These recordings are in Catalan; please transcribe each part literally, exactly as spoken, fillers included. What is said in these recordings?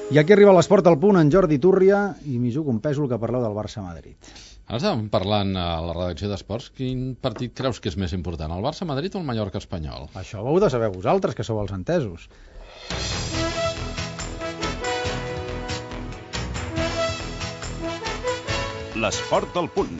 I aquí arriba l'Esport al punt, en Jordi Túrria, i m'hi jugo un pèsol que parleu del Barça-Madrid. Ara estàvem parlant a la redacció d'Esports. Quin partit creus que és més important, el Barça-Madrid o el Mallorca-Espanyol? Això ho heu de saber vosaltres, que sou els entesos. L'Esport al punt.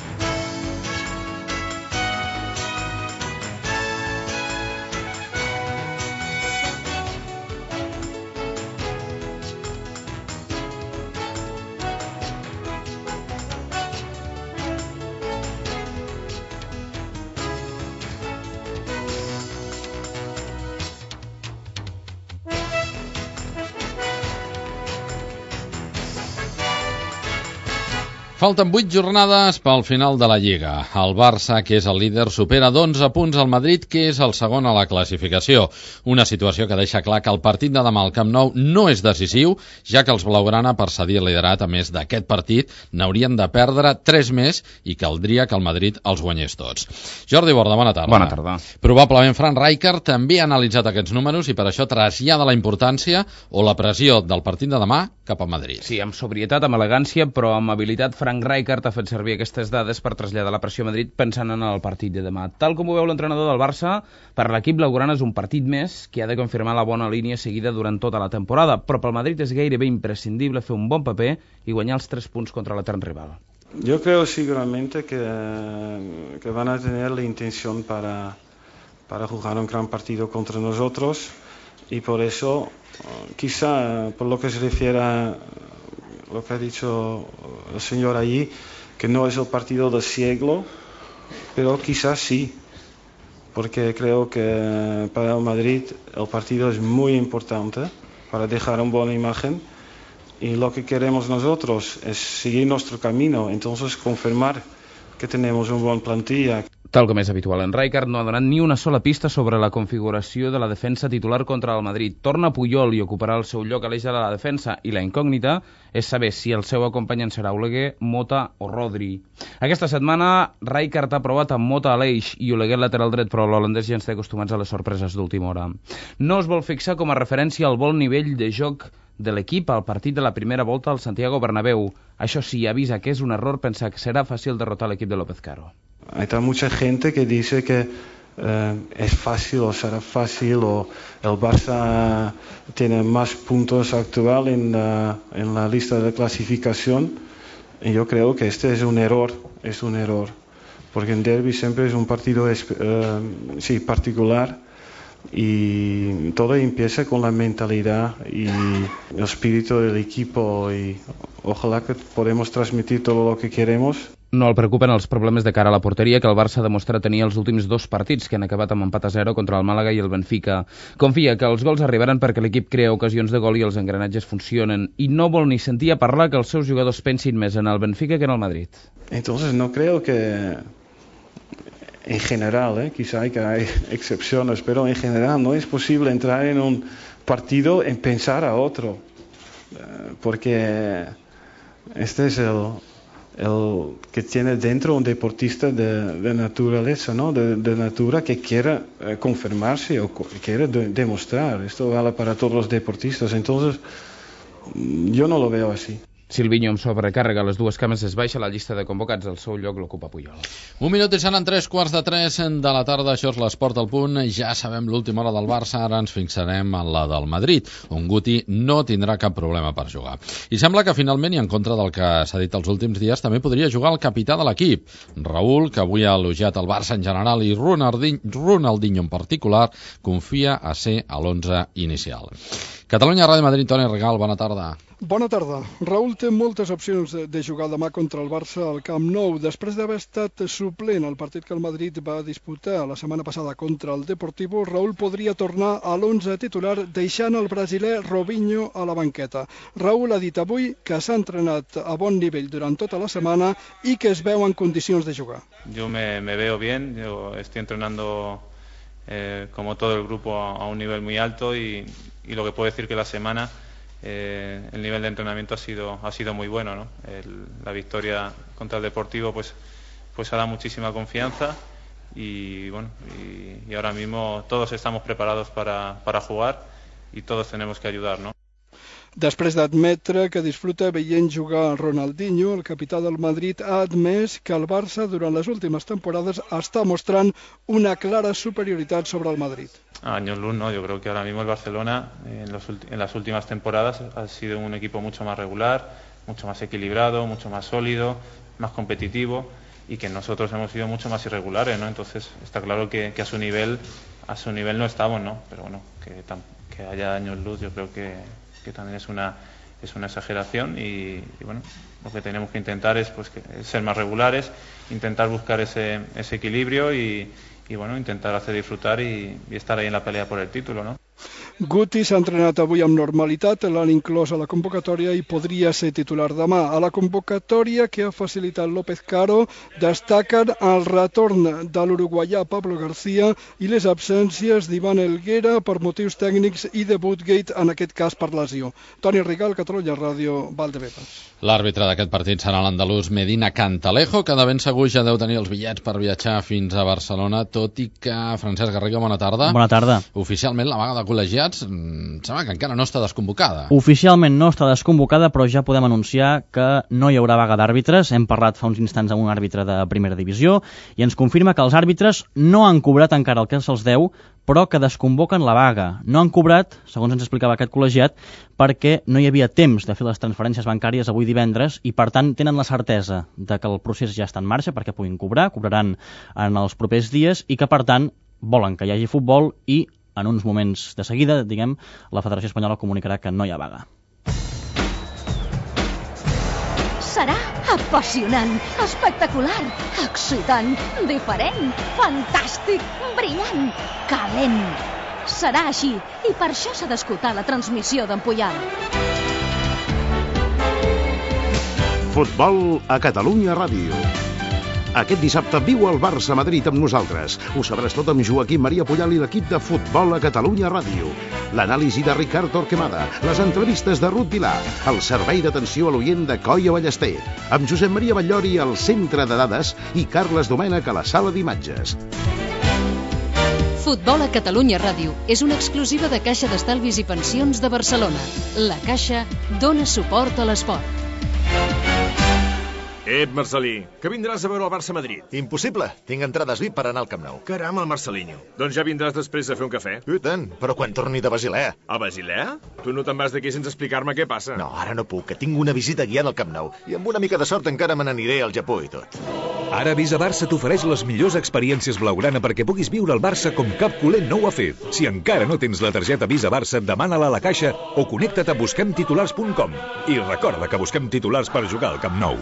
Falten vuit jornades pel final de la Lliga. El Barça, que és el líder, supera d'onze punts al Madrid, que és el segon a la classificació. Una situació que deixa clar que el partit de demà al Camp Nou no és decisiu, ja que els blaugrana, per cedir el liderat, a més d'aquest partit, n'haurien de perdre tres més i caldria que el Madrid els guanyés tots. Jordi Borda, bona tarda. Bona tarda. Probablement Frank Rijkaard també ha analitzat aquests números i per això trasllada la importància o la pressió del partit de demà cap al Madrid. Sí, amb sobrietat, amb elegància, però amb habilitat, Frank Rijkaard ha fet servir aquestes dades per traslladar la pressió a Madrid pensant en el partit de demà. Tal com ho veu l'entrenador del Barça, per l'equip blaugrana és un partit més que ha de confirmar la bona línia seguida durant tota la temporada, però pel Madrid és gairebé imprescindible fer un bon paper i guanyar els tres punts contra l'etern rival. Yo creo seguramente que, que van a tener la intención para, para jugar un gran partido contra nosotros y por eso, quizá por lo que se refiere a lo que ha dicho el señor allí, que no es el partido del siglo, pero quizás sí, porque creo que para el Madrid el partido es muy importante para dejar una buena imagen y lo que queremos nosotros es seguir nuestro camino, entonces confirmar que tenemos una buena plantilla. Tal com és habitual, en Rijkaard no ha donat ni una sola pista sobre la configuració de la defensa titular contra el Madrid. Torna Puyol i ocuparà el seu lloc a l'eix de la defensa i la incògnita és saber si el seu acompanyant serà Oleguer, Mota o Rodri. Aquesta setmana Rijkaard ha provat amb Mota a l'eix i Oleguer lateral dret, però l'holandès ja ens té acostumats a les sorpreses d'última hora. No es vol fixar com a referència al bon nivell de joc de l'equip al partit de la primera volta al Santiago Bernabéu. Això sí, avisa que és un error pensar que serà fàcil derrotar l'equip de López Caro. Hay mucha gente que dice que eh, es fácil o será fácil o el Barça tiene más puntos actual en la, en la lista de clasificación y yo creo que este es un error, es un error, porque en derbi siempre es un partido eh, sí, particular y todo empieza con la mentalidad y el espíritu del equipo y ojalá que podamos transmitir todo lo que queremos. No el preocupen els problemes de cara a la porteria que el Barça demostra tenir els últims dos partits que han acabat amb empat a zero contra el Màlaga i el Benfica. Confia que els gols arribaran perquè l'equip crea ocasions de gol i els engranatges funcionen i no vol ni sentir a parlar que els seus jugadors pensin més en el Benfica que en el Madrid. Entonces no creo que en general, eh, quizá hay que hay excepciones, pero en general no es posible entrar en un partido en pensar a otro, eh, porque este es el el que tiene dentro un deportista de, de naturaleza, ¿no? de, de natura que quiera eh, confirmarse o co quiere de demostrar. Esto vale para todos los deportistas, entonces yo no lo veo así. Silvinho amb sobrecàrrega a les dues cames es baixa a la llista de convocats, el seu lloc l'ocupa Puyol. Un minut i seran tres quarts de tres de la tarda, això és l'Esport al punt. Ja sabem l'última hora del Barça, ara ens fixarem en la del Madrid, on Guti no tindrà cap problema per jugar. I sembla que finalment, i en contra del que s'ha dit els últims dies, també podria jugar el capità de l'equip, Raúl, que avui ha elogiat el Barça en general i Ronaldinho en particular, confia a ser a l'onze inicial. Catalunya Ràdio Madrid, Toni Regal, bona tarda. Bona tarda. Raúl té moltes opcions de jugar demà contra el Barça al Camp Nou. Després d'haver estat suplent al partit que el Madrid va disputar la setmana passada contra el Deportivo, Raúl podria tornar a l'onze titular deixant el brasiler Robinho a la banqueta. Raúl ha dit avui que s'ha entrenat a bon nivell durant tota la setmana i que es veu en condicions de jugar. Yo me, me veo bien, yo estoy entrenando eh, como todo el grupo a, a un nivel muy alto y, y lo que puedo decir que la semana Eh, el nivel de entrenamiento ha sido ha sido muy bueno, ¿no? El, la victoria contra el Deportivo pues pues ha dado muchísima confianza y bueno y, y ahora mismo todos estamos preparados para, para jugar y todos tenemos que ayudar, ¿no? Després d'admetre que disfruta veient jugar Ronaldinho, el capità del Madrid ha admès que el Barça durant les últimes temporades està mostrant una clara superioritat sobre el Madrid. A años luz, no. Yo creo que ahora mismo el Barcelona en, los, en las últimas temporadas ha sido un equipo mucho más regular, mucho más equilibrado, mucho más sólido, más competitivo, y que nosotros hemos sido mucho más irregulares, ¿no? Entonces está claro que, que a su nivel a su nivel no estamos, ¿no? Pero bueno, que, tam, que haya años luz yo creo que, que también es una es una exageración y, y bueno, lo que tenemos que intentar es pues que, ser más regulares, intentar buscar ese, ese equilibrio y, y bueno, intentar hacer disfrutar y, y estar ahí en la pelea por el título, ¿no? Guti s'ha entrenat avui amb normalitat, l'han inclòs a la convocatòria i podria ser titular demà. A la convocatòria que ha facilitat López Caro destaquen el retorn de l'uruguaià Pablo García i les absències d'Ivan Helguera per motius tècnics i de Woodgate, en aquest cas per lesió. Toni Rigal, Catalunya Ràdio, Valdebebas. L'àrbitre d'aquest partit serà l'andalús Medina Cantalejo, que de ben segur ja deu tenir els bitllets per viatjar fins a Barcelona, tot i que, Francesc Garriga, bona tarda. Bona tarda. Oficialment la vaga de col·legiats em sembla que encara no està desconvocada. Oficialment no està desconvocada, però ja podem anunciar que no hi haurà vaga d'àrbitres. Hem parlat fa uns instants amb un àrbitre de primera divisió i ens confirma que els àrbitres no han cobrat encara el que se'ls deu, però que desconvoquen la vaga. No han cobrat, segons ens explicava aquest col·legiat, perquè no hi havia temps de fer les transferències bancàries avui divendres i, per tant, tenen la certesa de que el procés ja està en marxa perquè puguin cobrar, cobraran en els propers dies i que, per tant, volen que hi hagi futbol i en uns moments de seguida, diguem, la Federació Espanyola comunicarà que no hi ha vaga. Serà apassionant, espectacular, excitant, diferent, fantàstic, brillant, calent. Serà així i per això s'ha d'escoltar la transmissió d'en Puyal. Futbol a Catalunya Ràdio. Aquest dissabte viu el Barça-Madrid amb nosaltres. Ho sabràs tot amb Joaquim Maria Puyal i l'equip de Futbol a Catalunya Ràdio. L'anàlisi de Ricard Torquemada, les entrevistes de Ruth Vilà, el servei d'atenció a l'oient de Coia Ballester, amb Josep Maria Batllori al centre de dades i Carles Domènech a la sala d'imatges. Futbol a Catalunya Ràdio és una exclusiva de Caixa d'Estalvis i Pensions de Barcelona. La Caixa dona suport a l'esport. Ep, Marcelí, que vindràs a veure el Barça-Madrid. Impossible, tinc entrades V I P per anar al Camp Nou. Caram, el Marcelinho. Doncs ja vindràs després a fer un cafè. I tant, però quan torni de Basilea. A Basilea? Tu no te'n vas d'aquí sense explicar-me què passa. No, ara no puc, que tinc una visita guiant al Camp Nou. I amb una mica de sort encara me n'aniré al Japó i tot. Ara Visa Barça t'ofereix les millors experiències blaugrana perquè puguis viure el Barça com cap culer no ho ha fet. Si encara no tens la targeta Visa Barça, demana-la a la Caixa o connecta't a busquem titulars punt com. I recorda que busquem titulars per jugar al Camp Nou.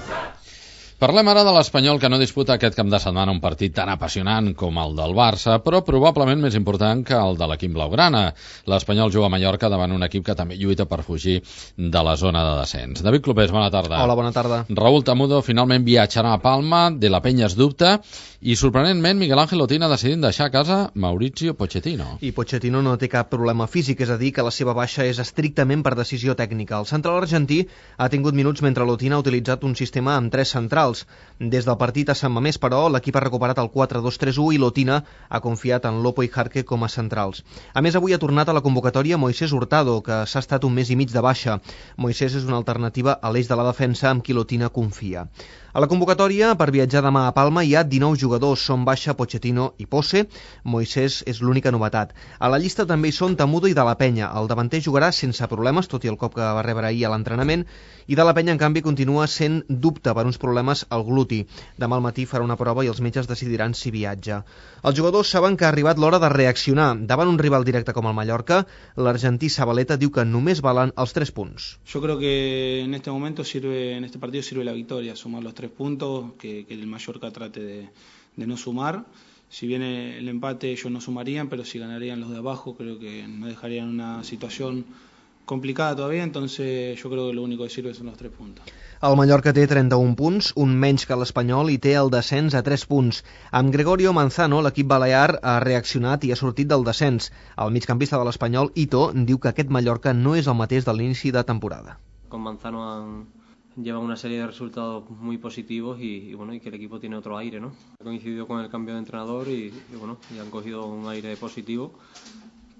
Parlem ara de l'Espanyol, que no disputa aquest cap de setmana un partit tan apassionant com el del Barça, però probablement més important que el de l'equip blaugrana. L'Espanyol juga a Mallorca davant un equip que també lluita per fugir de la zona de descens. David Clopés, bona tarda. Hola, bona tarda. Raúl Tamudo finalment viatjarà a Palma, de la Penya es dubta, i sorprenentment Miguel Ángel Otín ha decidit deixar a casa Mauricio Pochettino. I Pochettino no té cap problema físic, és a dir, que la seva baixa és estrictament per decisió tècnica. El central argentí ha tingut minuts mentre l'Otín ha utilitzat un sistema amb tres centrals. Des del partit a Sant Mamés, però, l'equip ha recuperat el quatre dos tres u i l'Otina ha confiat en Lopo i Jarque com a centrals. A més, avui ha tornat a la convocatòria Moisés Hurtado, que s'ha estat un mes i mig de baixa. Moisés és una alternativa a l'eix de la defensa amb qui l'Otina confia. A la convocatòria, per viatjar demà a Palma, hi ha dinou jugadors, són baixa Pochettino i Posse. Moisés és l'única novetat. A la llista també hi són Tamudo i De La Penya. El davanter jugarà sense problemes, tot i el cop que va rebre ahir a l'entrenament, i De La Penya, en canvi, continua sent dubte per uns problemes al gluti. Demà al matí farà una prova i els metges decidiran si viatja. Els jugadors saben que ha arribat l'hora de reaccionar. Davant un rival directe com el Mallorca, l'argentí Zabaleta diu que només valen els tres punts. Yo creo que en este momento sirve, en este partido sirve la victoria, sumar los tres puntos, que, que el Mallorca trate de, de no sumar. Si viene el empate ellos no sumarían, pero si ganarían los de abajo creo que nos dejarían una situación complicada todavía, entonces yo creo que lo único que sirve son los tres puntos. El Mallorca té trenta-un punts, un menys que l'Espanyol, i té el descens a tres punts. Amb Gregorio Manzano, l'equip balear ha reaccionat i ha sortit del descens. El migcampista de l'Espanyol, Ito, diu que aquest Mallorca no és el mateix de l'inici de temporada. Con Manzano han lleva una serie de resultados muy positivos y, y bueno y que el equipo tiene otro aire, ¿no? Ha coincidido con el cambio de entrenador y, y bueno y han cogido un aire positivo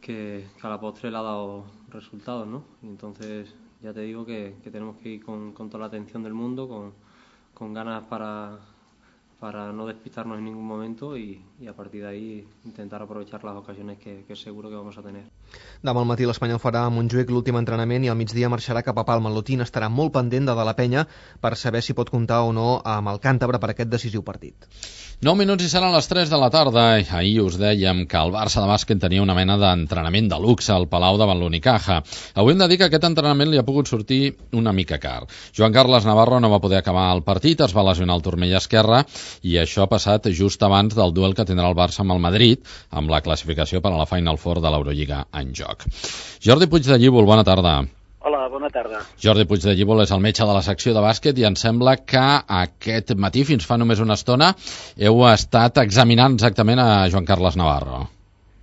que, que a la postre le ha dado resultados, ¿no? Y entonces ya te digo que, que tenemos que ir con, con toda la atención del mundo, con, con ganas para, para no despistarnos en ningún momento y, y a partir de ahí intentar aprovechar las ocasiones que, que seguro que vamos a tener. Demà al matí l'Espanyol farà a Montjuïc l'últim entrenament i al migdia marxarà cap a Palma. L'Otín estarà molt pendent de De la Penya per saber si pot comptar o no amb el càntabre per aquest decisiu partit. nou minuts i seran les tres de la tarda. Ahir us dèiem que el Barça de bàsquet tenia una mena d'entrenament de luxe al Palau davant l'Unicaja. Avui hem de dir que aquest entrenament li ha pogut sortir una mica car. Joan Carles Navarro no va poder acabar el partit, es va lesionar el turmell esquerre i això ha passat just abans del duel que tindrà el Barça amb el Madrid, amb la classificació per a la Final Four de l'Eurolliga en joc. Jordi Puig de Llívol, bona tarda. Hola, bona tarda. Jordi Puig de Llívol és el metge de la secció de bàsquet i em sembla que aquest matí, fins fa només una estona, heu estat examinant exactament a Joan Carles Navarro.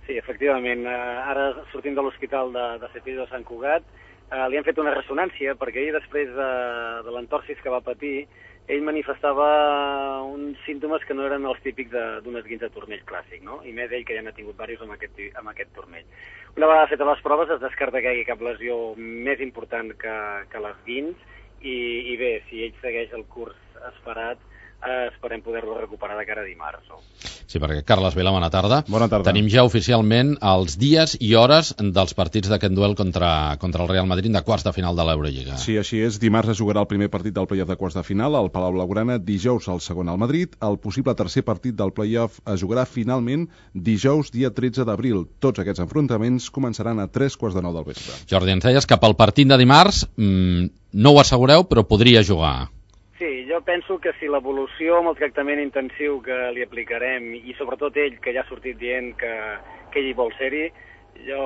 Sí, efectivament. Ara sortim de l'hospital de, de Cepillo de Sant Cugat, eh, li han fet una ressonància perquè ahir, després de, de l'entorsis que va patir, ell manifestava uns símptomes que no eren els típics d'un esguinç de turmell clàssic, no? I més ell que ja n'ha tingut diversos amb aquest, amb aquest turmell. Una vegada fetes les proves es descarta que hi hagi cap lesió més important que, que l'esguinç i, i bé, si ell segueix el curs esperat, eh, esperem poder-lo recuperar de cara a dimarts. No? Sí, perquè Carles Vila, bona tarda. Bona tarda. Tenim ja oficialment els dies i hores dels partits d'aquest duel contra, contra el Real Madrid de quarts de final de l'Eurolliga. Sí, així és. Dimarts es jugarà el primer partit del play-off de quarts de final al Palau Blaugrana, dijous el segon al Madrid. El possible tercer partit del play-off es jugarà finalment dijous, dia tretze d'abril. Tots aquests enfrontaments començaran a tres quarts de nou del vespre. Jordi, ens deies que pel partit de dimarts mmm, no ho assegureu, però podria jugar. Sí, jo penso que si l'evolució amb el tractament intensiu que li aplicarem i sobretot ell, que ja ha sortit dient que, que ell hi vol ser-hi, jo,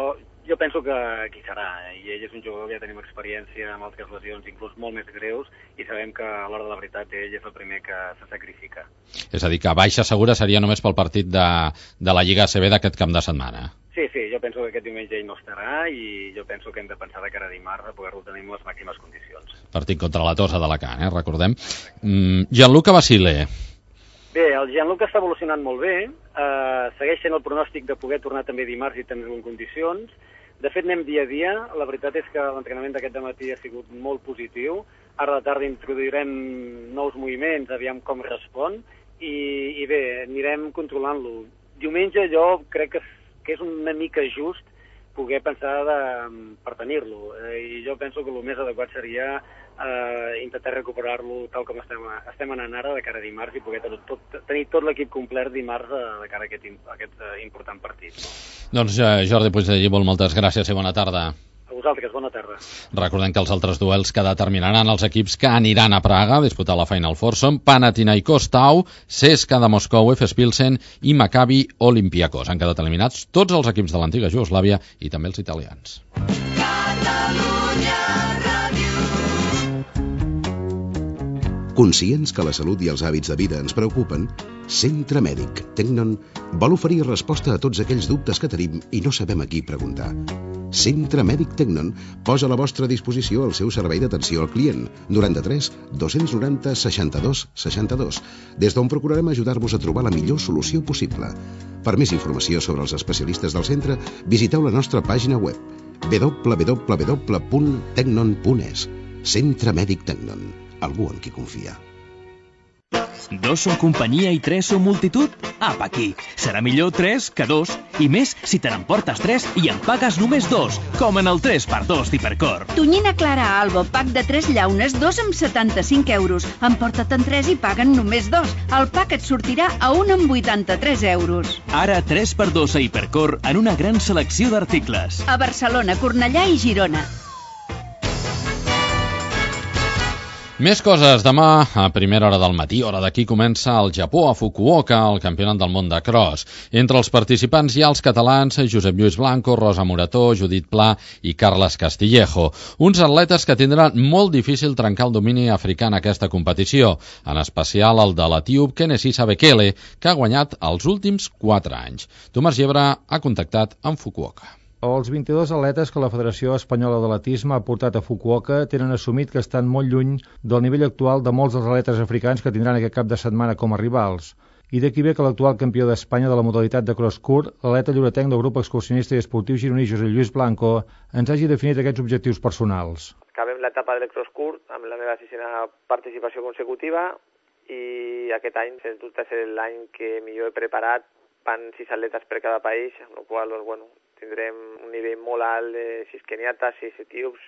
jo penso que aquí serà. I ell és un jugador que ja tenim experiència amb altres lesions, inclús molt més greus, i sabem que a l'hora de la veritat ell és el primer que se sacrifica. És a dir, que baixa segura seria només pel partit de, de la Lliga A C B d'aquest cap de setmana. Sí, sí, jo penso que aquest diumenge ell no estarà i jo penso que hem de pensar de cara a dimarts a poder-lo tenir en les màximes condicions. Partit contra la Tossa d'Alacant, eh? Recordem. Mm, Gianluca Basile. Bé, el Gianluca està evolucionant molt bé, eh, segueix sent el pronòstic de poder tornar també dimarts i tenir-lo en condicions. De fet, anem dia a dia. La veritat és que l'entrenament d'aquest dematí ha sigut molt positiu. Ara a la tarda introduirem nous moviments, aviam com respon, i, i bé, anirem controlant-lo. Diumenge jo crec que que és una mica just poder pensar de, per tenir-lo. Eh, I jo penso que el més adequat seria eh, intentar recuperar-lo tal com estem, estem anant ara de cara a dimarts i poder tot, tot, tenir tot l'equip complet dimarts eh, de cara a aquest, a aquest eh, important partit. No? Doncs eh, Jordi Puig de Llívol, moltes gràcies i bona tarda. A vosaltres, bona tarda. Recordem que els altres duels que determinaran els equips que aniran a Praga a disputar la Final Four són Panathinaikos Tau, C S K A de Moscou, Efes Pilsen i Maccabi Olympiacos. Han quedat eliminats tots els equips de l'antiga Jugoslàvia i també els italians. Conscients que la salut i els hàbits de vida ens preocupen, Centre Mèdic Tecnon vol oferir resposta a tots aquells dubtes que tenim i no sabem a qui preguntar. Centre Mèdic Tecnon posa a la vostra disposició el seu servei d'atenció al client, noranta-tres dos-cents noranta seixanta-dos seixanta-dos, des d'on procurarem ajudar-vos a trobar la millor solució possible. Per més informació sobre els especialistes del centre, visiteu la nostra pàgina web w w w punt tecnon punt es. Centre Mèdic Tecnon. Algú en qui confia. Dos són companyia i tres són multitud? Apa aquí! Serà millor tres que dos, i més si te n'emportes tres i en pagues només dos, com en el tres per dos d'Hipercor. Tonyina Clara Alba, pack de tres llaunes, dos amb setanta-cinc euros. Emporta't en tres i paguen només dos. El pack et sortirà a un amb vuitanta-tres euros. Ara tres per dos a Hipercor en una gran selecció d'articles. A Barcelona, Cornellà i Girona. Més coses. Demà, a primera hora del matí, hora d'aquí, comença el Japó a Fukuoka, el campionat del món de cross. Entre els participants hi ha els catalans Josep Lluís Blanco, Rosa Morató, Judit Pla i Carles Castillejo. Uns atletes que tindran molt difícil trencar el domini africà en aquesta competició, en especial el de l'etíop Kenenisa Bekele, que ha guanyat els últims quatre anys. Tomàs Llebre ha contactat amb Fukuoka. Els vint-i-dos atletes que la Federació Espanyola d'Atletisme ha portat a Fukuoka tenen assumit que estan molt lluny del nivell actual de molts dels atletes africans que tindran aquest cap de setmana com a rivals. I d'aquí ve que l'actual campió d'Espanya de la modalitat de cross-court, l'atleta lloretenc del grup excursionista i esportiu gironí Josep Lluís Blanco, ens hagi definit aquests objectius personals. acabem l'etapa del cross curt amb la meva sisena participació consecutiva i aquest any, sens dubte, és l'any que millor he preparat. Van sis atletes per cada país, amb la qual cosa, bueno, tindrem un nivell molt alt de sis keniates, sis etíops,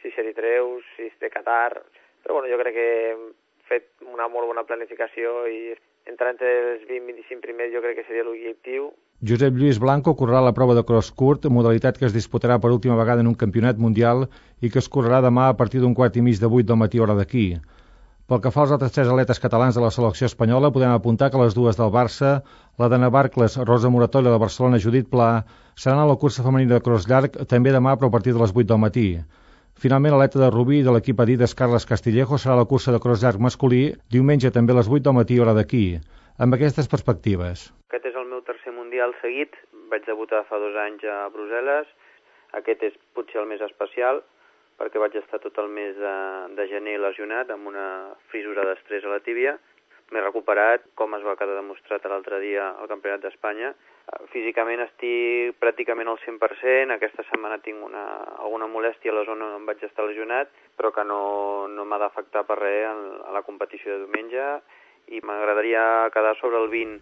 sis eritreus, sis de Qatar. Però bueno, jo crec que hem fet una molt bona planificació i entrar entre els vint i vint-i-cinc primers jo crec que seria l'objectiu. Josep Lluís Blanco correrà la prova de cross curt, modalitat que es disputarà per última vegada en un campionat mundial i que es correrà demà a partir d'un quart i mig de vuit del matí hora d'aquí. Pel que fa als altres tres atletes catalans de la selecció espanyola, podem apuntar que les dues del Barça, la d'Anna Barcles, Rosa Moratolla de Barcelona, Judit Pla, seran a la cursa femenina de cross llarg també demà però a partir de les vuit del matí. Finalment, l'aleta de Rubí de l'equip Adidas Carles Castillejo serà a la cursa de cross llarg masculí diumenge també a les vuit del matí hora d'aquí. Amb aquestes perspectives. Aquest és el meu tercer mundial seguit. Vaig debutar fa dos anys a Brussel·les. Aquest és potser el més especial perquè vaig estar tot el mes de, de gener lesionat amb una fissura d'estrès a la tíbia. M'he recuperat, com es va quedar demostrat l'altre dia al Campionat d'Espanya. Físicament estic pràcticament al cent per cent. Aquesta setmana tinc una, alguna molèstia a la zona on vaig estar lesionat, però que no, no m'ha d'afectar per res a la competició de diumenge i m'agradaria quedar sobre el vint.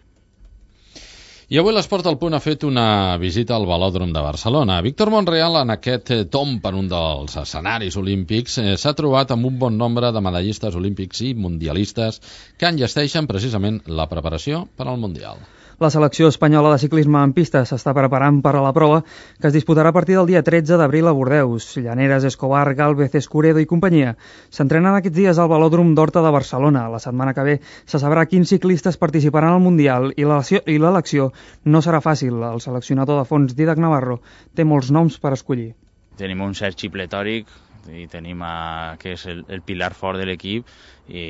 I avui l'Esport al Punt ha fet una visita al Velòdrom de Barcelona. Víctor Monreal, en aquest tomb per un dels escenaris olímpics, eh, s'ha trobat amb un bon nombre de medallistes olímpics i mundialistes que enllesteixen precisament la preparació per al Mundial. La selecció espanyola de ciclisme en pista s'està preparant per a la prova que es disputarà a partir del dia tretze d'abril a Bordeus. Llaneras, Escobar, Gálvez, Escuredo i companyia s'entrenen aquests dies al Velòdrom d'Horta de Barcelona. La setmana que ve se sabrà quins ciclistes participaran al Mundial i l'elecció no serà fàcil. El seleccionador de fons, Dídac Navarro, té molts noms per escollir. Tenim un Sergi Pletòric i tenim a, que és el, el pilar fort de l'equip i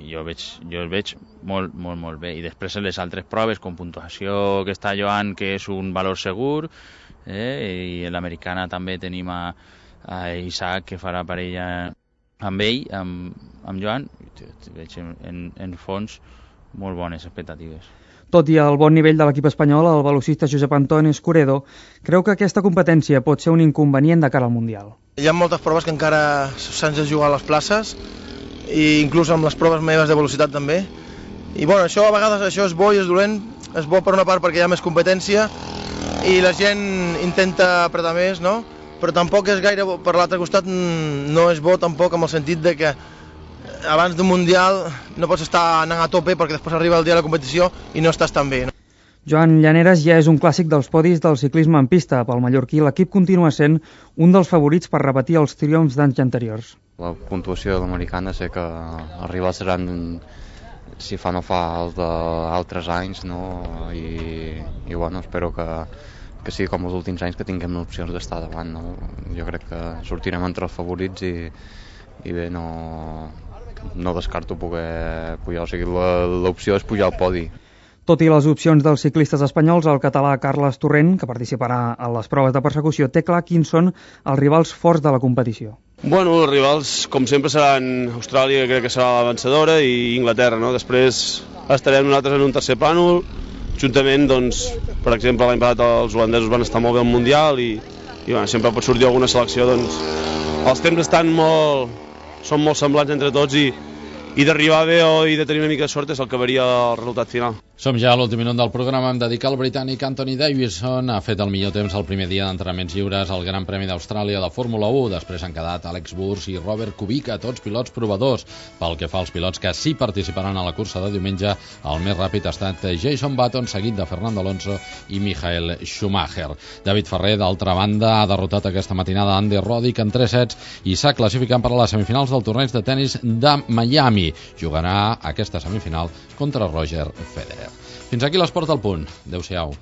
jo, veig, jo el veig molt, molt, molt bé. I després en les altres proves, com puntuació que està Joan, que és un valor segur, eh? I en l'americana també tenim a, a Isaac, que farà parella amb ell, amb, amb Joan. Veig en, en, en fons molt bones expectatives. Tot i el bon nivell de l'equip espanyol, el velocista Josep Antoni Escuredo creu que aquesta competència pot ser un inconvenient de cara al Mundial. Hi ha moltes proves que encara s'han de jugar a les places, i inclús amb les proves meves de velocitat també. I bueno, això a vegades això és bo i és dolent. És bo per una part perquè hi ha més competència i la gent intenta apretar més, no? Però tampoc és gaire bo. Per l'altre costat no és bo tampoc amb el sentit de que abans d'un Mundial no pots estar anant a tope perquè després arriba el dia de la competició i no estàs tan bé, no? Joan Llaneras ja és un clàssic dels podis del ciclisme en pista. Pel mallorquí, l'equip continua sent un dels favorits per repetir els triomfs d'anys anteriors. La puntuació de l'americana sé que els rivals seran, si fa no fa, els d'altres anys, no? I, i bueno, espero que, que sigui com els últims anys, que tinguem opcions d'estar davant, no? Jo crec que sortirem entre els favorits i, i bé, no, no descarto poder pujar, o sigui, l'opció és pujar al podi. Tot i les opcions dels ciclistes espanyols, el català Carles Torrent, que participarà a les proves de persecució, té clar quins són els rivals forts de la competició. Bueno, els rivals, com sempre, seran Austràlia, que crec que serà la vencedora, i Inglaterra, no? Després estarem nosaltres en un tercer plànol, juntament, doncs, per exemple, l'any passat els holandesos van estar molt bé al Mundial i, i bueno, sempre pot sortir alguna selecció, doncs, els temps estan molt, són molt semblants entre tots i, i d'arribar bé o i de tenir una mica de sort és el que varia el resultat final. Som ja a l'últim minut del programa. Em dedica al britànic Anthony Davidson. Ha fet el millor temps el primer dia d'entrenaments lliures al Gran Premi d'Austràlia de Fórmula u. Després han quedat Alex Burs i Robert Kubica, tots pilots provadors. Pel que fa als pilots que sí participaran a la cursa de diumenge, el més ràpid ha estat Jason Button, seguit de Fernando Alonso i Michael Schumacher. David Ferrer, d'altra banda, ha derrotat aquesta matinada Andy Roddick en tres sets i s'ha classificat per a les semifinals del torneig de tennis de Miami. Jugarà aquesta semifinal contra Roger Federer. Fins aquí l'Esport al Punt. Adéu-siau.